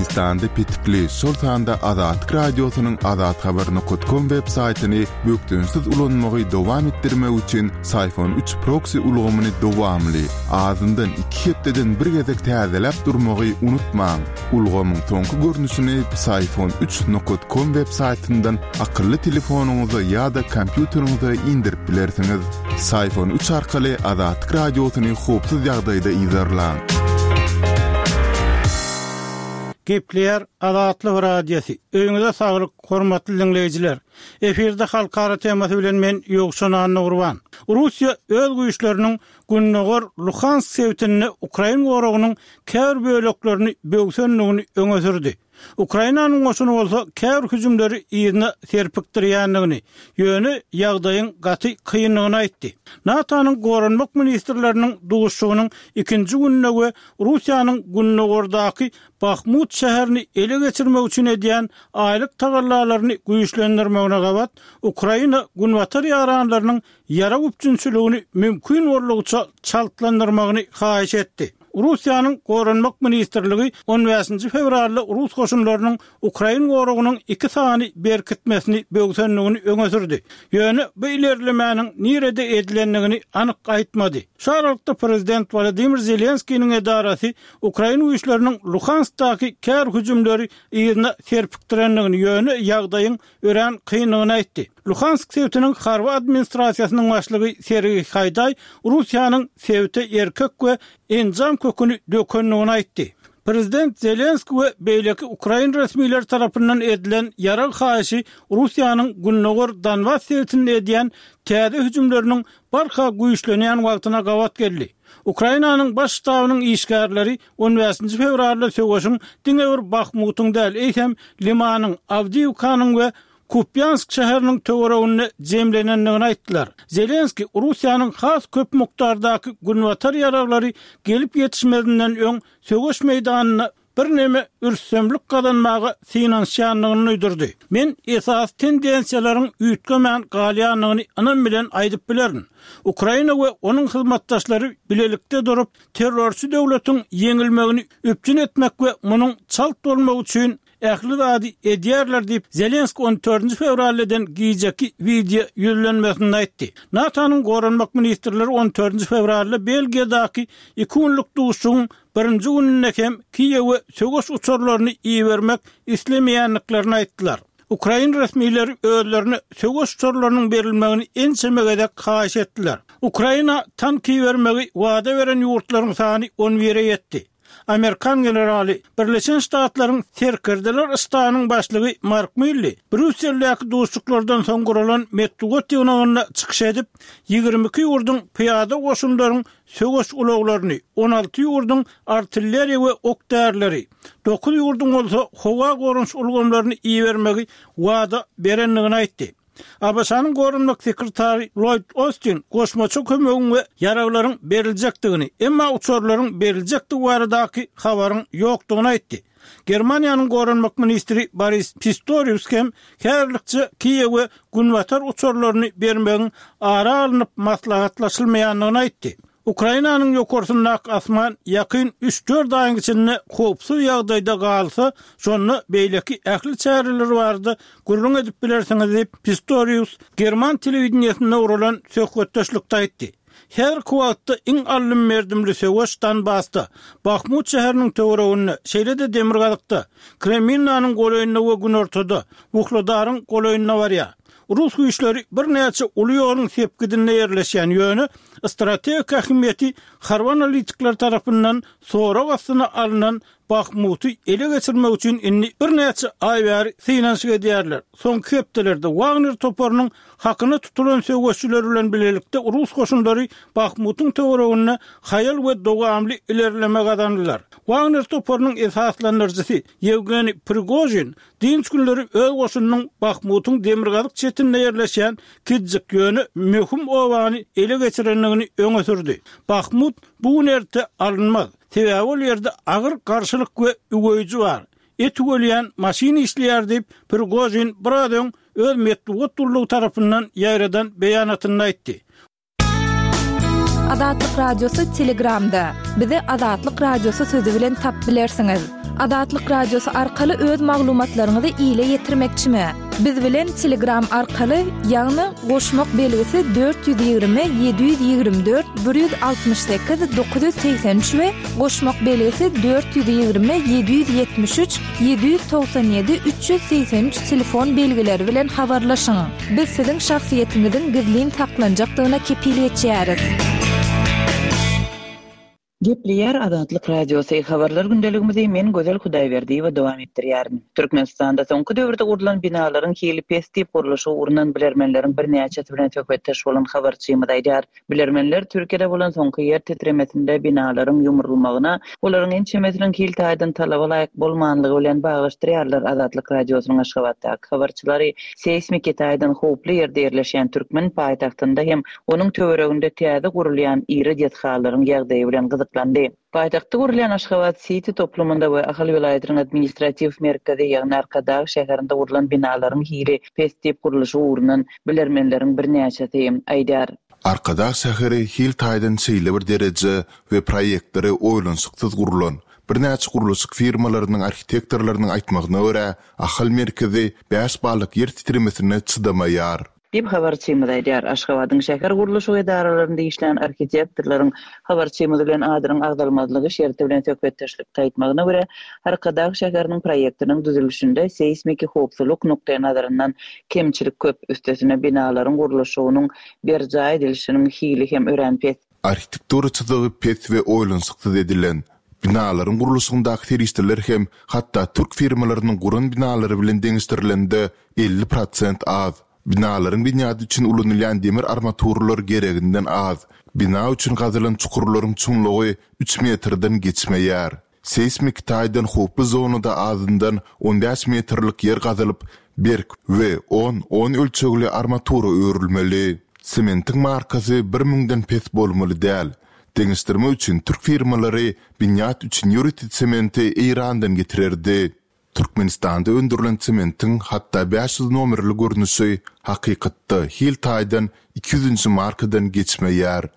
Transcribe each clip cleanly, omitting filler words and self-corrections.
Türkmenistanda petikli, şol sanda Azatlyk Radiosynyň azathabar nokat kom web saýtyny bökdençsiz ulanmagy dowam etdirmek üçin Syfon 3 proksi ulgamyny dowamly, azyndan iki hepdeden bir gezek täzeläp durmagy unutmaň. Ulgamyň soňky görnüşini Psiphon 3 nokat kom web saýtyndan akylly telefonyňyza ýa-da kompýuteriňize indirip bilersiňiz. Psiphon 3 arkaly Azatlyk Radiosyny howpsuz ýagdaýda yzarlaň. Gepleýär Azatlyk Radiosy. Öýüňize saglyk, hormatly diňleýjiler! Efirde halkara temasy bilen men Ýowşan Annagurban. Russiýa öz güýçleriniň gündogar Luhansk sebitinde ukrain goragynyň käbir böleklerini böwsendigini öňe sürdi. Ukrainanyň goşuny bolsa käbir hüjümleri yzyna serpikdirýändigini, ýöne ýagdaýyň gaty kyndygyny aýtdy. NATO-nyň goranmak ministrleriniň duşuşygynyň ikinji gününde we Russiýanyň gündogardaky Bahmut şäherini ele geçirmek üçin edýän aýlyk tagallalaryny güýçlendirmegine gabat, Ukraina günbatar ýaranlarynyň ýarag üpjünçiligini mümkin boldugyça çaltlandyrmagyny haýyş etdi. Russiýanyň Goranmak ministrligi on bäşinji fewralda rus goşunlarynyň ukrain goragynyň iki sany berkitmesini böwsendigini öňe sürdi. Ýöne bu ilerlemäniň nirede edilendigini anyk aýtmady. Şu aralykda prezident Wolodymyr Zelenskiniň edarasy ukrain güýçleriniň Luhanskdaky käbir hüjümleri yzyna serpikdirendigini, ýöne ýagdaýyň örän kyndygyny aýtdy. Luhansk sebitiniň harby administrasiýasynyň başlygy Sergiý Haýdaý Russiýanyň sebite erkek we enjam köküni dökendigini aýtdy. Prezident Zelenskiý we beýleki ukrain resmileri tarapyndan edilen ýarag haýyşy Russiýanyň gündogar Donbas sebitinde edýän täze hüjümleriniň barha güýçlenýän wagtyna gabat geldi. Ukrainanyň Baş ştabynyň işgärleri on bäşinji fewralda söweşiň diňe bir Bahmutyň däl, eýsem, Limanyň, Awdiýewkanyň we Kupýansk şäheriniň töwereginde jemlenendigini aýtdylar. Zelenskiý Russiýanyň has köp mukdardaky günbatar ýaraglary gelip ýetişmezinden öň söweş meýdanynda birneme rüstemlik gazanmaga synanyşýandygyny duýdurdy. Men esasy tendensiýalaryň üýtgemän galýandygyny ynam bilen aýdyp bilerin. Ukraina we onuň hyzmatdaşlary bilelikde durup, terrorçy döwletiň ýeňilmegini üpjün etmek we munuň çalt bolmagy üçin ähli zady edýärler diýip, Zelenskiý on dördünji fewralda eden gijeki wideo ýüzlenmesinde aýtdy. NATO-nyň goranmak ministrleri on dördünji fewralda Belgiýadaky iki günlük duşuşygyň birinji gününde hem Kiýewe söweş uçarlaryny ibermek islemeýändiklerini aýtdylar. Ukrain resmileri özlerine söweş uçarlarynyň berilmegini ençeme gezek haýyş etdiler. Ukraina tank ibermegi wada beren ýurtlaryň sany on bire ýetdi. Amerikan generaly, Birleşen Ştatlaryň Serkerdeler ştabynyň başlygy Mark Milli Brýusseldäki duşuşyklardan soň guralan metbugat ýygnagynda çykyş edip, 22 ýurduň pyýada goşunlaryň söweş ulaglaryny, 16 ýurduň artilleriýa we ok-därileri, dokuz ýurduň bolsa howa goranyş ulgamlaryny ibermegi wada berendigini aýtdy. ABŞ-nyň goranmak sekretary Lloýd Ostin goşmaça kömegiň we ýaraglaryň beriljekdigini, emma uçarlaryň beriljekdigi baradaky habaryň ýokdugyny aýtdy. Germaniýanyň goranmak ministri Boris Pistorius hem häzirlikçe Kiýewe Günbatar uçarlaryny bermegiň ara alnyp maslahatlaşylmaýandygyny aýtdy. Ukrainanyň ýokarsyndaky asman ýakyn üç-dört aýyň içinde howpsuz ýagdaýda galsa, şonda beýleki ähli çäreler barada gürrüň edip bilersiňiz diýip, Pistorius german telewideniýesinde guralan söhbetdeşlikde aýtdy. Häzirki wagtda iň aldym-berdimli söweş Donbasda, Bahmut şäheriniň töwereginde, şeýle-de demirgazykda, Kreminnanyň golaýynda we günortada, Wuhledaryň golaýynda barýar. Rus güýçleri birnäçe uly ýoluň sepgidinde ýerleşýän, ýöne strategik ähmiýeti harby analitikler tarapyndan sorag astyna alnan Bahmuty ele geçirmek üçin indi birnäçe aý bäri synanyşyk edýärler. Soňky hepdelerde Wagner toparynyň hakyna tutulan söweşçileri bilen bilelikde rus goşunlary Bahmutyň töwereginde haýal we dowamly ilerleme gazandylar. Wagner toparynyň esaslandyryjysy Ýewgeniý Prigožin Dynç günleri öz goşunynyň Bahmutyň demirgazyk çetinde ýerleşýän kiçijik, ýöne möhüm obany ele geçirendigini öňe sürdi. Bahmut bu gün-erte alynmaz. Sebäbi ol ýerde agyr garşylyk we üweýji bar. Et üwelýän maşyn işleýär diýip, Prigožin biraz öň öz metbugat gullugy tarapyndan ýaýradan beýanatynda aýtdy. Azatlyk Radiosy Telegramda. Bizi Azatlyk Radiosy sözi bilen tapyp bilersiňiz. Azatlyk Radiosy arkaly öz maglumatlaryňyzy ile ýetirmekçimi? Biz bilen Telegram arkaly, ýagny goşmak belgisi 420 724 168 983 we goşmak belgisi 420 773 797 383 telefon belgileri bilen habarlaşyň. Biz siziň şahsyýetiňiziň gizlin saklanjakdygyna kepil geçýäris. Gepleýär Azatlyk Radiosy, Habarlar gündeligimizi men Gözel Hudaýberdiýewa dowam etdirýärin. Türkmenistanda soňky döwürde gurlan binalaryň hili pes diýip gurluşygy ugrundan bilermenleriň birnäçesi bilen söhbetdeş bolan habarçymyz aýdýar. Bilermenler Türkiýede bolan soňky ýer titremesinde binalaryň ýumrulmagyna olaryň ençemesiniň hil taýdan talaba laýyk bolmanlygy bilen baglaşdyrýarlar Azatlyk Radiosynyň Aşgabatdaky habarçylary seýsmiki taýdan howply ýerde ýerleşýän türkmen paýtagtynda hem onuň töwereginde täze gurulýan iri desgalaryň ýagdaýy bilen gyzyklandy. Paýtagtda gurulýan Aşgabat Siti toplumynda we Ahal welaýatynyň administratiw merkezi, ýagny Arkadag şäherinde gurlan binalaryň hili pes diýip gurluşyk ugrundan bilermenleriň birnäçesi aýdýar. Arkadag şäheri hil taýdan şeýle bir dereje we proýektleri oýlanyşyksyz gurlan. Birnäçe gurluşyk firmalarynyň arhitektorlarynyň aýtmagyna görä, Ahal merkezi bäş ballyk ýer titremesine çydamaýar. Diýip, habarçymyz aýdýar. Aşgabadyň şäher gurluşyk edaralarynda işlän arhitektorlaryň habarçymyz bilen adynyň agzalmazlygy şerti bilen söhbetdeşlikde aýtmagyna görä, Arkadag şäheriniň proýektiniň düzülişinde seýsmiki howpsuzlyk nukdaýnazaryndan kemçilik köp, üstesine binalaryň gurluşygynyň berjaý edilişiniň hili hem örän pes. Arhitektura çyzygy pes we oýlanyşyksyz edilen. Binalaryň gurluşygyndaky serişdeler hem hatda türk firmalarynyň guran binalary bilen deňeşdirilende 50 prosent az. Binalaryň binýady üçin ulanylýan demir armaturalar gereginden az. Bina üçin gazylan çukurlaryň çuňlugy üç metrden geçmeýär. Seýsmiki taýdan howply zonada azyndan on bäş metrlik ýer gazylyp, berk we on, on ölçegli armatura örülmeli. Sementiň markasy bir müňden pes bolmaly däl. Deňeşdirmek üçin türk firmalary binýat üçin ýörite sementi Eýrandan getirerdi. Türkmenistanda öndürilen sementiň hatda 500 nomerli görnüşi hakykatda hil taýdan iki ýüzünji markadan geçmeýär.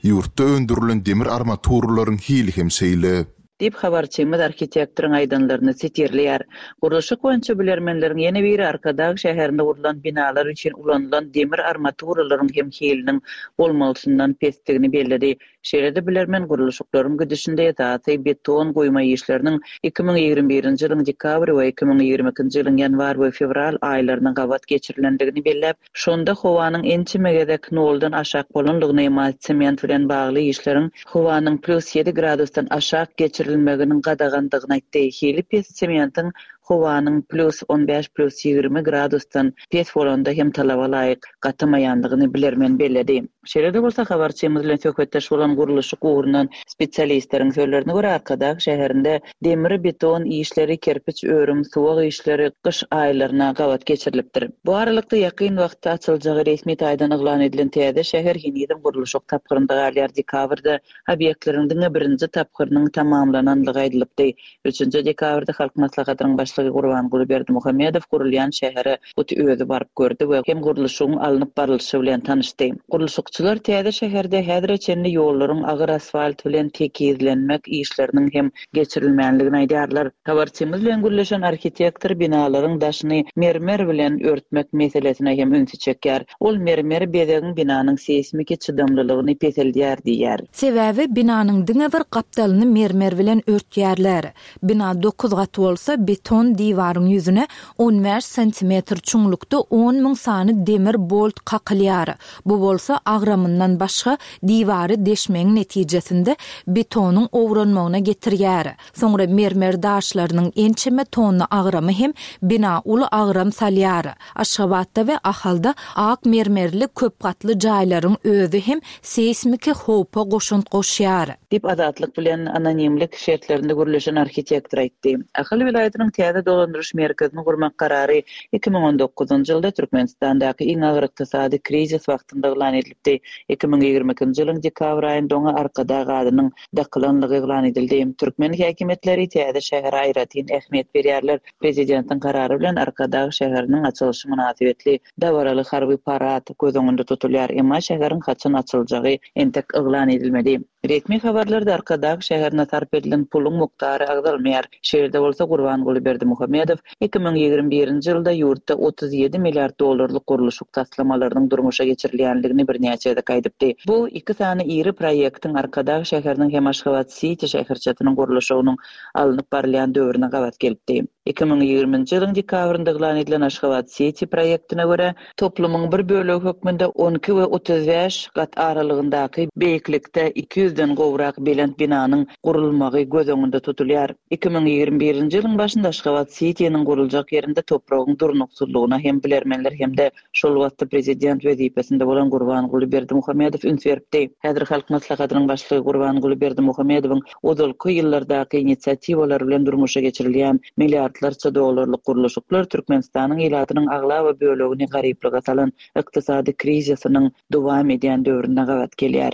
Ýurtda öndürilen demir armaturalaryň hili hem şeýle. Diýip, habarçymyz arhitektoryň aýdanlaryny sitirleýär. Gurluşyk boýunça bilermenleriň ýene biri Arkadag şäherinde gurlan binalar üçin ulanylan demir armaturalaryň hem hiliniň bolmalysyndan pesdigini belledi. Şeýle-de bilermen gurluşyklaryň gidişinde esasy beton guýma işleriniň 2021-nji ýylyň dekabr we 2022-nji ýylyň ýanwar we fewral aýlaryna gabat geçirilendigini belläp, şonda howanyň ençeme gezek noldan aşak bolandygyny, emma sement bilen bagly işleriň howanyň plýus ýedi gradusdan aşak geçirilmeginiň gadagandygyny aýtdy. Hili pes sementiň howanyň plýus on bäş, plýus 20 gradusdan pes bolanda hem talaba laýyk gatamaýandygyny bilermen belledi. Şeýle-de bolsa, habarçymyz bilen söhbetdeş bolan gurluşyk ugrundan spesialistleriň sözlerine görä, Arkadag şäherinde demir-beton işleri, kerpiç örüm, suwag işleri gyş aýlaryna gabat geçirilipdir. Bu aralykda, ýakyn wagtda açyljagy resmi taýdan yglan edilen täze şäher henizem gurluşyk tapgyrynda galýar, dekabrda obýektleriň diňe birinji tapgyrynyň tamamlanandygy aýdylypdy. Üçünji dekabrda Halk Maslahatynyň Başlygy Gurbanguly Berdimuhamedow gurulýan şähere hut özi baryp gördi we hem gurluşygyň alnyp barlyşy bilen tanyşdy. Gurluşykçylar täze şäherde häzire çenli ýollaryň agyr asfalt bilen tekizlenmek işleriniň hem geçirilmänligini aýdýarlar. Habarçymyz bilen gürleşen arhitektor binalaryň daşyny mermer bilen örtmek meselesine hem ünsi çekýär. Ol mermer bezegiň binanyň seýsmiki çydamlylygyny peseldýär diýýär. Sebäbi binanyň diňe bir gapdalyny mermer bilen örtýärler. Bina dokuz gat bolsa, beton diwaryň ýüzüne on bäş santimetr çuňlukda on müň sany demir bolt kakylýar. Bu bolsa agramyndan başga diwary deşmegiň netijesinde betonyň owranmagyna getirýär. Soňra mermer daşlarynyň ençeme tonna agramy hem bina uly agram salýar. Aşgabatda we Ahalda ak mermerli köp gatly jaýlaryň özi hem seýsmiki howpa goşant goşýar. Diýip, Azatlyk bilen anonimlik şertlerinde gürleşen arhitektor aýtdy. Ahal welaýatynyň täze. täze dolandyryş merkezini gurmak karary 2019-njy ýylda Türkmenistandaky iň agyr ykdysady krizis wagtynda yglan edilipdi. 2022-nji ýylyň dekabr aýynda oňa Arkadag adynyň dakylanlygy yglan edildi. Türkmen häkimiýetleri täze şähere aýratyn ähmiýet berýärler. Prezidentiň karary bilen Arkadag şäheriniň açylyşy mynasybetli dabaraly harby parad göz öňünde tutulýar, emma şäheriň haçan açyljagy entek yglan edilmedi. Resmi habarlarda Arkadag şäherine sarp edilen puluň mukdary agzalmaýar. Şeýle-de bolsa, Gurbanguly Berdimuhamedow 2021-nji ýylda ýurtda 37 milliard dollarlyk gurluşyk taslamalarynyň durmuşa geçirilýändigini birnäçe gezek aýdypdy. Bu iki sany iri proýektiň Arkadag şäheriniň hem Aşgabat-siti şäherçesiniň gurluşygynyň alnyp barylýan döwrüne gabat gelipdi. 2020-nji ýylyň dekabrynda yglan edilen Aşgabat-siti proýektine görä, toplumyň bir bölegi hökmünde 12 we 35 gat aralygyndaky beýiklikde 200-den gowrak belent binanyň gurulmagy göz öňünde tutulýar. 2021-nji ýylyň başynda Aşgabat-sitiniň guruljak ýerinde topragyň durnuksyzlygyna hem bilermenler hem-de Şol wagtda prezident wezipesinde bolan Gurbanguly Berdimuhamedow üns beripdi. Häzir Halk Maslahatynyň Başlygy Gurbanguly Berdimuhamedowyň ozalky ýyllardaky inisiatiwalary bilen durmuşa geçirilýän milliardlarça dollarlyk gurluşyklar Türkmenistanyň ilatynyň aglaba bölegini garyplyga salan ykdysady krizisiniň dowam edýän döwrüne gabat gelýär.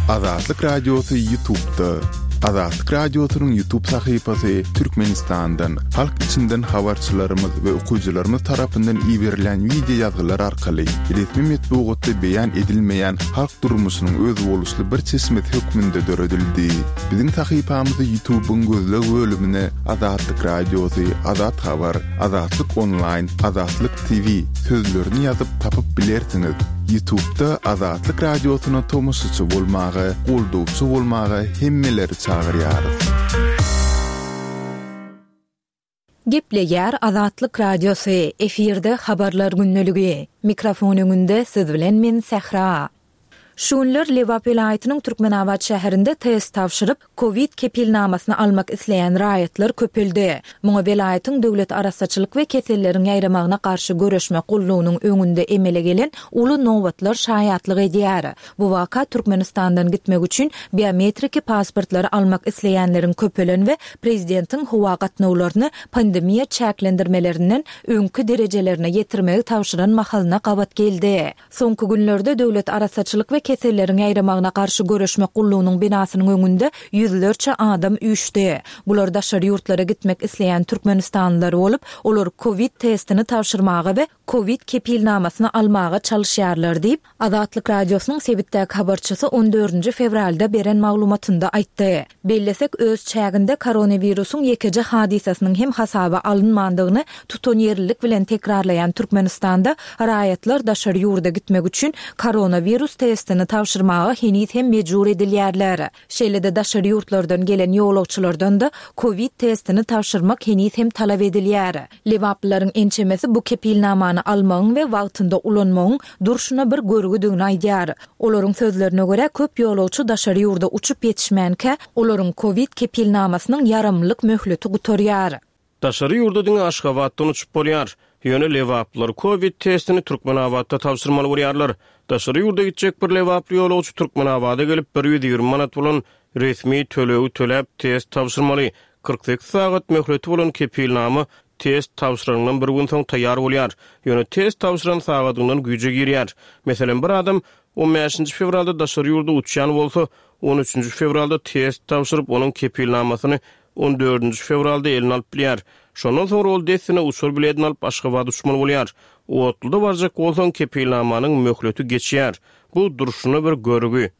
Azatlyk Radiosy Ýutubda. Azatlyk Radiosynyň Ýutub sahypasy Türkmenistandan, halk içinden habarçylarymyz we okyjylarymyz tarapyndan iberilýän wideo ýazgylar arkaly resmi metbugatda beýan edilmeýän halk durmuşynyň özboluşly bir çeşmesi hökmünde döredildi. Biziň sahypamyzy Ýutubyň gözleg bölümine Azatlyk Radiosy, Azat Habar, Azatlyk Onlaýn, Azatlyk TV sözlerini ýazyp tapyp bilersiňiz. Ýutubda Azatlyk Radiosyna tomaşaçy bolmaga, goldawçy bolmaga hemmeleri çagyrýarys. Gepleýär Azatlyk Radiosy, efirde Habarlar gündeligi. Mikrofon öňünde siz bilen men Sähra. Şu günler Lebap welaýatynyň Türkmenabat şäherinde test tabşyryp, kowid kepilnamasyny almak isleýän raýatlar köpeldi. Muňa welaýatyň Döwlet arassaçylyk we keselleriň ýaýramagyna garşy göreşmek gullugynyň öňünde emele gelen uly nobatlar şaýatlyk edýär. Bu waka Türkmenistandan gitmek üçin biometriki pasportlary almak isleýänleriň köpelen we prezidentiň howa gatnawlaryny pandemiýa çäklendirmelerinden öňki derejelerine ýetirmegi tabşyran mahalyna gabat geldi. Soňky günlerde Döwlet arassaçylyk we keselleriň ýaýramagyna garşy göreşmek gullugynyň binasynyň öňünde ýüzlerçe adam üýşdi. Bular daşary ýurtlara gitmek isleýän türkmenistanlylar bolup, olar kowid testini tabşyrmaga we kowid kepilnamasyny almaga çalyşýarlar diýip, Azatlyk Radiosynyň sebitdäki habarçysy on dördünji fewralda beren maglumatynda aýtdy. Bellesek, öz çäginde koronawirusyň ýekeje hadysasynyň hem hasaba alynmandygyny tutanýerlilik bilen tekrarlaýan Türkmenistanda raýatlar daşary ýurda gitmek üçin koronawirus testini tabşyrmaga heniz hem mejbur edilýärler. Şeýle-de daşary ýurtlardan gelen ýolagçylardan-da kowid testini tabşyrmak heniz hem talap edilýär. Lebaplylaryň ençemesi bu kepilnamany almagyň we wagtynda ulanmagyň durşuna bir görgüdigini aýdýar. Olaryň sözlerine görä, köp ýolagçy daşary ýurda uçup ýetişmänkä, olaryň kowid kepilnamasynyň ýaramlylyk möhleti gutarýar. Daşary ýurda diňe Aşgabatdan uçup bolýar. Ýöne lebaplylar kowid testini Türkmenabatda tabşyrmaly bolýarlar. Daşary ýurda gitjek bir lebaply ýolagçy Türkmenabada gelip, 120 manat bolan resmi tölegi töläp, test tabşyrmaly. 48 sagat möhleti bolan kepilnama test tabşyranyňdan bir gün soň taýýar bolýar. Ýöne test tabşyran sagadyňdan güýje girýär. Meselem, bir adam on bäşinji fewralda daşary ýurda uçýan bolsa, on üçünji fewralda test tabşyryp, onuň kepilnamasyny on dördünji fewralda eline alyp bilýär. Şondan soňra ol dessine uçar biledini alyp Aşgabada uçmaly bolýar. Otluda barjak bolsaň, kepilnamanyň möhleti geçýär. Bu durşuna bir görgi.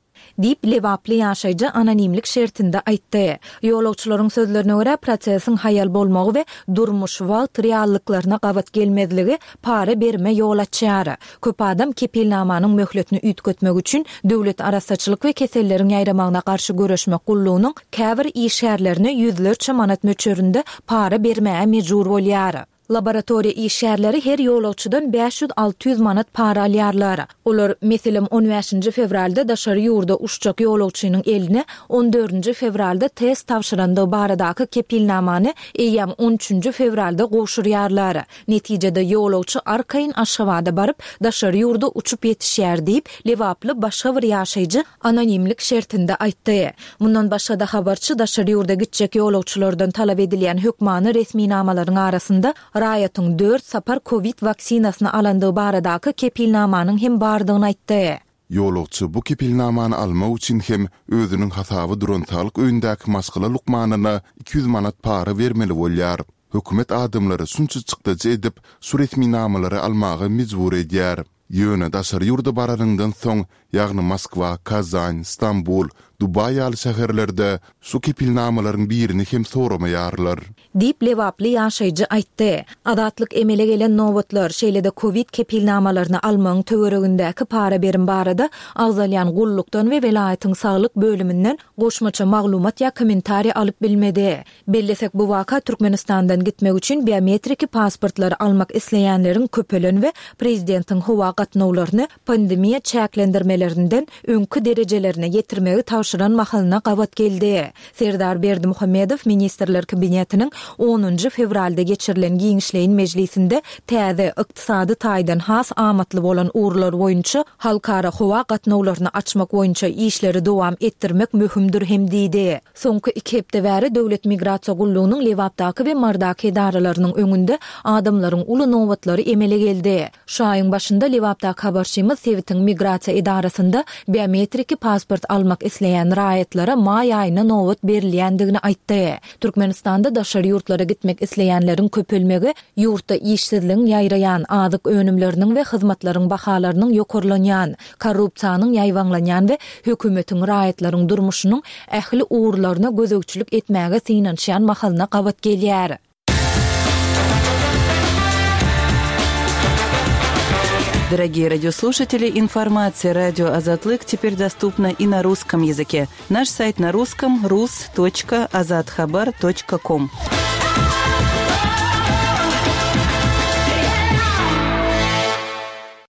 Diýip, lebaply ýaşaýjy anonimlik şertinde aýtdy. Ýolagçylaryň sözlerine görä, prosesiň haýal bolmagy we durmuş, wagt reallyklaryna gabat gelmezligi para berime ýol açýar. Köp adam kepilnamanyň möhletini üýtgetmek üçin Döwlet arassaçylyk we keselleriň ýaýramagyna garşy göreşmek gullugynyň käbir işgärlerine ýüzlerçe manat möçberinde para bermäge mejbur bolýar. Laboratoriýa işgärleri her ýolagçydan 500-600 manat para alýarlar. Olar, meselem, on bäşinji fewralda daşary ýurda uçjak ýolagçynyň eline on dördünji fewralda test tabşyrandygy baradaky kepilnamany eýýäm on üçünji fewralda gowşurýarlar. Netijede, ýolagçy arkaýyn Aşgabada baryp, daşary ýurda uçup ýetişýär diýip, lebaply başga bir ýaşaýjy anonimlik şertinde aýtdy. Mundan başga-da habarçy daşary ýurda gitjek ýolagçylardan talap edilýän hökmany resminamalaryň arasynda raýatyň dört sapar kowid waksinasyny alandygy baradaky kepilnamanyň hem bardygyny aýtdy. Ýolagçy bu kepilnamany almak üçin hem özüniň hasaba duran saglyk öýündäki maşgala lukmanyna 200 manat para bermeli bolýar. Hökümet adamlary şunça çykdajy edip, şu resminamalary almaga mejbur edýär. Ýöne daşary ýurda baranyňdan soň, ýagny Moskwa, Kazan, Stambul, Dubaý ýaly şäherlerde şu kepilnamalaryň birini hem soramaýarlar. Diýip, lebaply ýaşaýjy aýtdy. Azatlyk emele gelen nobatlar, şeýle-de kowid kepilnamalaryny almagyň töweregindäki para-berim barada agzalýan gullukdan we welaýatyň saglyk bölüminden goşmaça maglumat ýa kommentariý alyp bilmedi. Bellesek, bu waka Türkmenistandan gitmek üçin biometriki pasportlary almak isleýänleriň köpelen we prezidentiň howa gatnawlaryny pandemiýa çäklendirmelerinden öňki derejelerine ýetirmegi tabşyran mahalyna gabat geldi. Serdar Berdimuhamedow Ministrler Kabinetiniň onunjy fewralda geçirilen giňişleýin mejlisinde täze, ykdysady taýdan has amatly bolan ugurlar boýunça halkara howa gatnawlaryny açmak boýunça işleri dowam etdirmek möhümdir hem diýdi. Soňky iki hepde bäri Döwlet migrasiýa gullugynyň Lebapdaky we Mardaky edaralarynyň öňünde adamlaryň uly nobatlary emele geldi. Şu aýyň başynda Lebapdaky habarçymyz sebitiň migrasiýa edarasynda biometriki pasport almak isleýän raýatlara maý aýyna nobat berilýändigini aýtdy. Türkmenistanda daşary ýurtlara gitmek isleýänleriň köpelmegi ýurtda işsizligiň ýaýraýan, azyk önümleriniň we hyzmatlaryň bahalarynyň ýokarlanýan, korrupsiýanyň ýaýbaňlanýan we hökümetiň raýatlaryň durmuşynyň ähli ugurlaryna gözegçilik etmäge synanyşýan mahalyna gabat gelýär. Дорогие радиослушатели, информация радио Азатлык теперь доступна и на русском языке. Наш сайт на русском rus.azathabar.com.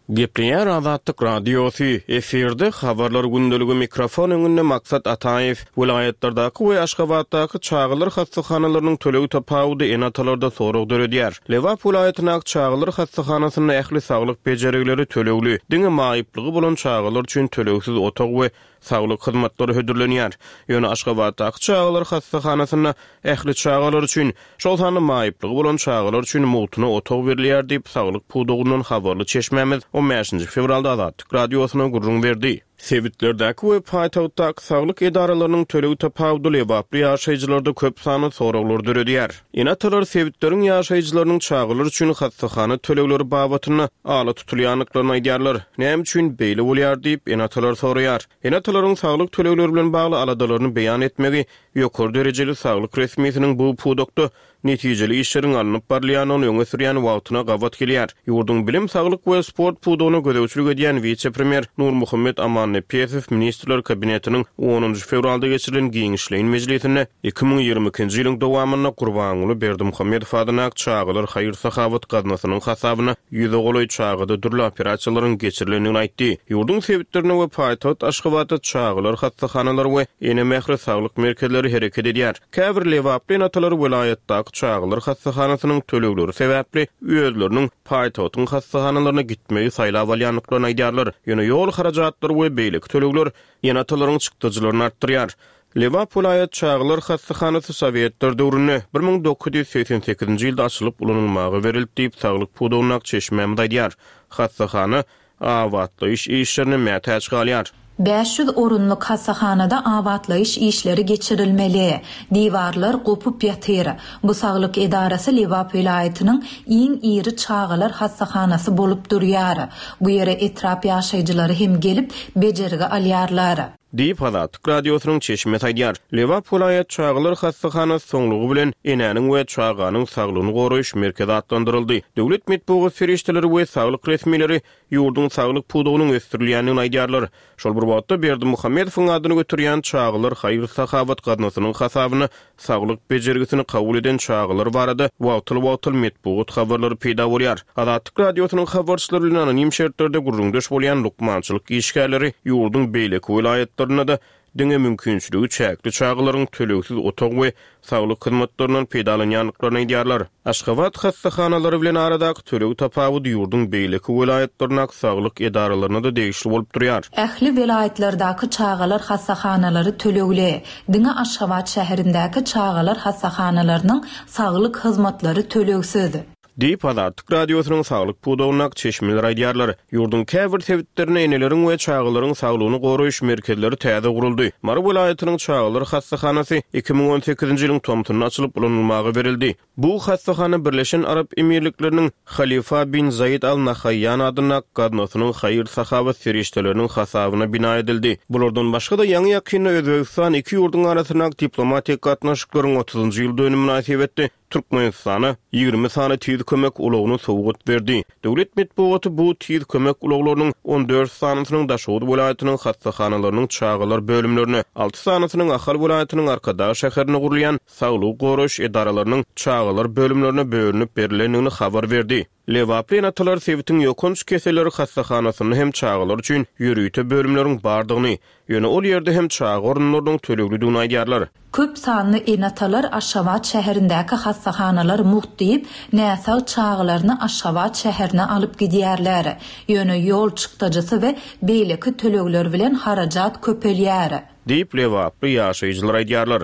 Gepleýär Azatlyk Radiosy, efirde Habarlar gündeligi mikrofon öňünde Maksat Ataýew. Welaýatlardaky we Aşgabatdaky çagalar hassahanalarynyň töleg tapawudy ene-atalarda sorag döredýär. Lebap welaýatyndaky çagalar hassahanasynda ähli saglyk bejergileri tölegli, diňe maýyplygy bolan çagalar üçin tölegsiz otag we saglyk hyzmatlary hödürlenýär. Ýöne Aşgabatdaky çagalar hassahanasynda ähli çagalar üçin, şol sanda maýyplygy bolan çagalar üçin mugtuna otag berilýär diýip, saglyk pudagyndan habarly çeşmämiz on bäşinji fewralda Azatlyk Radiosyna gürrüň berdi. Sebitlerdäki we paýtagtdaky saglyk edaralarynyň töleg tapawudy lebaply ýaşaýjylarda köp sanly soraglary döredýär. Ene-atalar sebitleriň ýaşaýjylarynyň çagalar üçin hassahana tölegleri babatynda ala tutulýandyklaryny aýdýarlar. Näme üçin beýle bolýar diýip, ene-atalar soraýar. Ene-atalaryň saglyk tölegleri bilen bagly aladalaryny beýan etmegi ýokary derejeli saglyk resmisiniň bu pudakda netijeli işleriň alnyp barylýandygyny öňe sürýän wagtyna gabat gelýär. Ýurduň bilim, saglyk we sport pudagyna gözegçilik edýän wise-premýer Nurmuhammet Amannepesow Ministrler Kabinetiniň onunjy fewralda geçirilen giňişleýin mejlisinde 2022-nji ýylyň dowamynda Gurbanguly Berdimuhamedow adyndaky Çagalar haýyr-sahawat gaznasynyň hasabyna ýüze golaý çagada dürli operasiýalaryň geçirilendigini aýtdy. Ýurduň sebitlerinde we paýtagt Aşgabatda çagalar hassahanalary we Ene mähri saglyk merkezleri hereket edýär. Käbir lebaply ene-atalar welaýatdaky çagalar hassahanasynyň tölegleri sebäpli özleriniň paýtagtyň hassahanalaryna gitmegi saýlap alýandyklaryny aýdýarlar. Ýöne ýol harajatlary we beýleki tölegler ene-atalaryň çykdajylaryny artdyrýar. Lebap welaýat çagalar hassahanasy sowetler döwründe, 1988-nji ýylda açylyp ulanylmaga berildi diýip, saglyk pudagyndaky çeşmämiz aýdýar. Hassahana abatlaýyş işlerine mätäç galýar. 500 orunlyk hassahanada abatlaýyş işleri geçirilmeli. Diwarlar gopup ýatyr. Bu saglyk edarasy Lebap welaýatynyň iň iri çagalar hassahanasy bolup durýar. Bu ýere etrap ýaşaýjylary hem gelip, bejergi alýarlar. Diýip, Azatlyk Radiosynyň çeşmesi aýdýar. Lebap welaýat çagalar hassahanasy soňlugy bilen Enäniň we çaganyň saglygyny goraýyş merkezi atlandyryldy. Döwlet metbugat serişdeleri we saglyk resmileri ýurduň saglyk pudagynyň ösdürilýändigini aýdýarlar. Şol bir wagtda, Berdimuhamedowyň adyny göterýän Çagalar haýyr-sahawat gaznasynyň hasabyna saglyk bejergisini kabul eden çagalar barada wagtal-wagtal metbugat habarlary peýda bolýar. Azatlyk Radiosynyň habarçylary bilen anonim şertlerde gürrüňdeş bolýan lukmançylyk işgärleri ýurduň beýleki welaýatlarynda-da diňe mümkinçiligi çäkli çagalaryň tölegsiz otag we saglyk hyzmatlaryndan peýdalanýandyklaryny aýdýarlar. Aşgabat hassahanalary bilen aradaky töleg tapawudy ýurduň beýleki welaýatlaryndaky saglyk edaralaryna-da degişli bolup durýar. Ähli welaýatlardaky çagalar hassahanalary tölegli. Diňe Aşgabat şäherindäki çagalar hassahanalarynyň saglyk hyzmatlary tölegsiz. Diýip, Azatlyk Radiosynyň saglyk pudagyndaky çeşmeler aýdýarlar. Ýurduň käbir sebitlerinde eneleriň we çagalaryň saglygyny goraýyş merkezleri täze guruldy. Mary welaýatynyň çagalar hassahanasy 2018-nji ýylyň tomsunda açylyp ulanylmaga berildi. Bu hassahana Birleşen Arap Emirlikleriniň Halifa bin Zaid Al Nahaýýan adyndaky gaznasynyň haýyr-sahawat serişdeleriniň hasabyna bina edildi. Bulardan başga-da, ýaňy-ýakynda Özbegistan iki ýurduň arasyndaky diplomatik gatnaşyklaryň otuzynjy ýyl dönümi mynasybetli Türkmenistana 20 sany tiz kömek ulagyny sowgat berdi. Döwlet metbugaty bu tiz kömek ulaglarynyň 14 sanysynyň Daşoguz welaýatynyň hassahanalarynyň çagalar bölümlerine, alty sanysynyň Ahal welaýatynyň Arkadag şäherinde gurulýan saglygy goraýyş edaralarynyň çagalar bölümlerine bölünip berlendigini habar berdi. Lebaply ene-atalar sebitiň ýokanç keselleri hassahanasynda hem çagalar üçin ýörite bölümleriň bardygyny, ýöne ol ýerde hem çaga orunlarynyň töleglidigini aýdýarlar. Köp sanly ene-atalar Aşgabat şäherindäki hassahanalar mugt diýip, näsag çagalaryny Aşgabat şäherine alyp gidýärler. Ýöne ýol çykdajysy we beýleki tölegler bilen harajat köpelýär. Diýip, lebaply ýaşaýjylar aýdýarlar.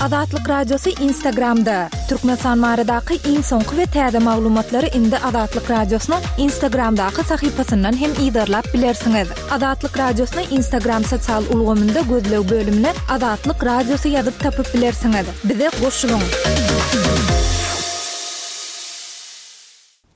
Azatlyk Radiosy Instagramda, Türkmenistan baradaky iň soňky we täze maglumatlary indi Azatlyk Radiosynyň Instagramdaky sahypasyndan hem yzarlap bilersiňiz. Azatlyk Radiosyny Instagram sosial ulgamynda gözleg bölümine Azatlyk Radiosy ýazyp tapyp bilersiňiz. Bize goşulyň!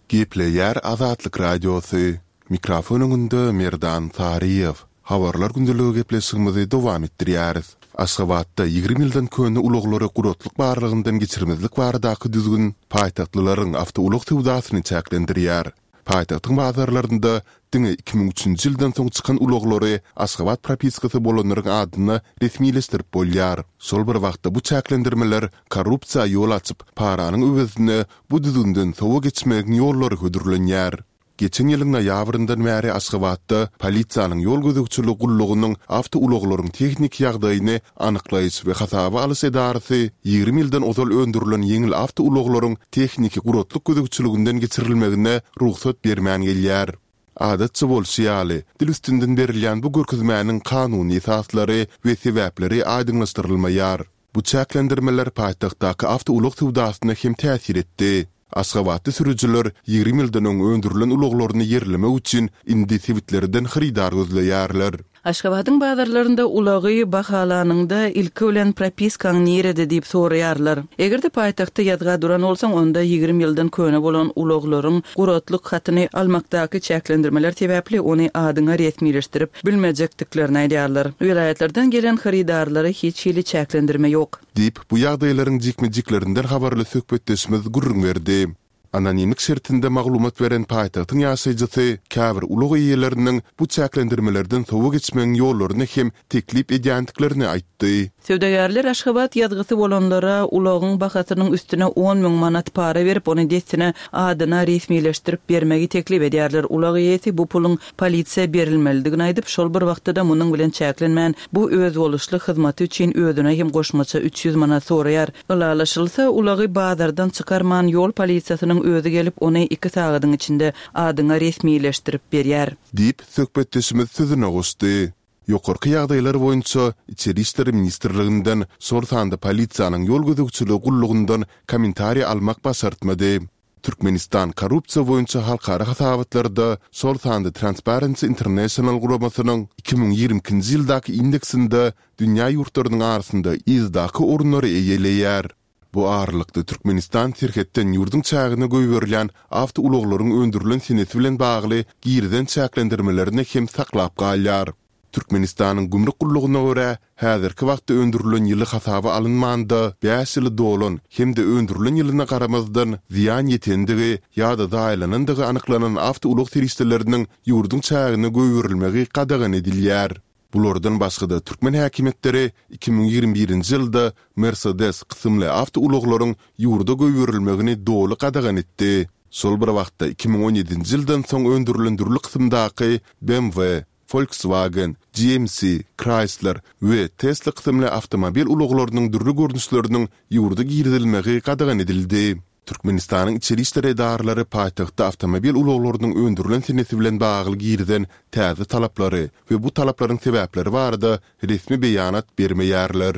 Gepleýär Azatlyk Radiosy, Mikrofon öňünde Merdan Saryýew. Habarlar gündeligi gepleşigimizi dowam etdirýäris. Aşgabatda 20 ýyldan köne ulaglary guratlyk barlagyndan geçirmezlik baradaky düzgün paýtagtlylaryň awtoulag söwdasyny çäklendirýär. Paýtagtyň bazarlarynda diňe 2003-nji ýyldan soň çykan ulaglary Aşgabat propiskasy bolanlaryň adyna resmileşdirip bolýar. Şol bir wagtda bu çäklendirmeler korrupsiýa ýol açyp, paranyň öwezine bu düzgünden sowa geçmegiň ýollary hödürlenýär. Geçen ýylyň noýabryndan bäri Aşgabatda polisiýanyň ýol gözegçiligi gullugynyň awtoulaglaryň tehniki ýagdaýyny anyklaýyş we hasaba alyş edarasy 20 ýyldan ozal öndürilen ýeňil awtoulaglaryň tehniki guratlyk gözegçiliginden geçirilmegine rugsat bermän gelýär. Adatça bolşy ýaly, dil üstünden berilýän bu görkezmäniň kanuny esaslary we sebäpleri aýdyňlaşdyrylmaýar. Bu çäklendirmeler paýtagtdaky awtoulag söwdasyna hem täsir etdi. Aşgabatly sürüjiler 20 ýyldan öň öndürilen ulaglaryny ýerlemek üçin indi sebitlerden hyrydar gözleýärler. Aşgabadyň bazarlarynda ulagy bahalanyňda ilki bilen propiskaň nirede diýip soraýarlar. Eger-de paýtagtda ýazga duran bolsaň, onda 20 ýyldan köne bolan ulaglaryň guratlyk hatyny almakdaky çäklendirmeler sebäpli ony adyňa resmileşdirip bilmejekdiklerini aýdýarlar. Welaýatlardan gelen hyrydarlara hiç hili çäklendirme ýok. Diýip, bu ýagdaýlaryň jikme-jiklerinden habarly söhbetdeşimiz gürrüň berdi. Anonimlik şertinde maglumat beren paýtagtyň ýaşaýjysy käbir ulag eýeleriniň bu çäklendirmelerden sowa geçmegiň ýollaryny hem teklip edýändiklerini aýtdy. Söwdagärler Aşgabat ýazgysy bolanlara ulagyň bahasynyň üstüne 10 müň manat para berip, ony dessine adyna resmileşdirip bermegi teklip edýärler. Ulag eýesi bu puluň polisiýa berilmelidigini aýdyp, şol bir wagtda-da munuň bilen çäklenmän, bu özboluşly hyzmaty üçin özüne hem goşmaça 300 manat soraýar. Ylalaşylsa, ulagy bazardan çykarman, ýol polisiýasynyň özi gelip, ony iki sagadyň içinde adyňa resmileşdirip berýär. Diýip, söhbetdeşimiz sözüne goşdy. Ýokarky ýagdaýlar boýunça Içeri işler ministrliginden, şol sanda polisiýanyň ýol gözegçiligi gullugyndan kommentariý almak başartmady. Türkmenistan korrupsiýa boýunça halkara hasabatlarda, şol sanda Transparency International guramasynyň 2022-nji ýyldaky indeksinde dünýä ýurtlarynyň arasynda yzdaky orunlary eýeleýär. Bu aralykda, Türkmenistan serhetden ýurduň çägine goýberilýän awtoulaglaryň öndürilen senesi bilen bagly girizen çäklendirmelerini hem saklap galýar. Türkmenistanyň Gümrük gullugyna görä, häzirki wagtda öndürilen ýyly hasaba alynmanda bäş ýyly dolan hem-de öndürilen ýylyna garamazdan zyýan ýetendigi ýa-da zaýalanandygy anyklanan awtoulag serişdeleriniň ýurduň çägine goýberilmegi gadagan edilýär. Bulardan başga-da türkmen häkimiýetleri 2021-nji ýylda Mercedes kysymly awtoulaglaryň ýurda goýberilmegini doly gadagan etdi. Şol bir wagtda 2017-nji ýyldan soň öndürilen dürli kysymdaky BMW, Volkswagen, GMC, Chrysler we Tesla kysymly awtomobil ulaglarynyň dürli görnüşleriniň ýurda girizilmegi gadagan edildi. Türkmenistanyň içeri işler edaralary paýtagtda awtomobil ulaglarynyň öndürilen senesi bilen bagly girizen täze talaplary we bu talaplaryň sebäpleri barada resmi beýanat bermeýärler.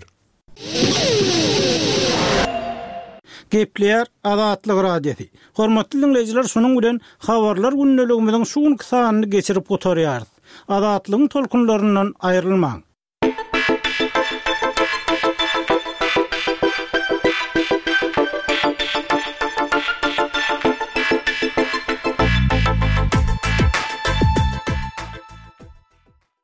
Gepleýär Azatlyk Radiosy. Hormatly diňleýjiler şunuň bilen Habarlar gündeligimiziň şu günki sanyny geçirip gutarýarys. Azatlygyň tolkunlaryndan aýrylmaň.